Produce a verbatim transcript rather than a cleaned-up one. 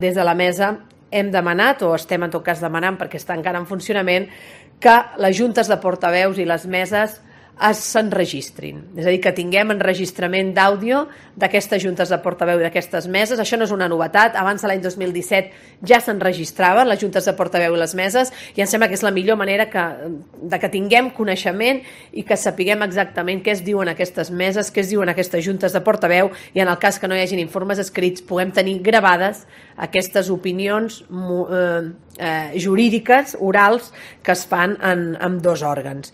Des de la mesa hem demanat, o estem en tot cas demanant, perquè està encara en funcionament, que les juntes de portaveus i les meses s'enregistrin. És a dir, que tinguem enregistrament d'àudio d'aquestes juntes de portaveu i d'aquestes meses. Això no és una novetat. Abans de l'any dos mil disset ja s'enregistraven les juntes de portaveu i les meses i em sembla que és la millor manera que, de que tinguem coneixement i que sapiguem exactament què es diuen aquestes meses, què es diuen aquestes juntes de portaveu i en el cas que no hi hagin informes escrits puguem tenir gravades aquestes opinions eh, eh, jurídiques, orals, que es fan en, en dos òrgans.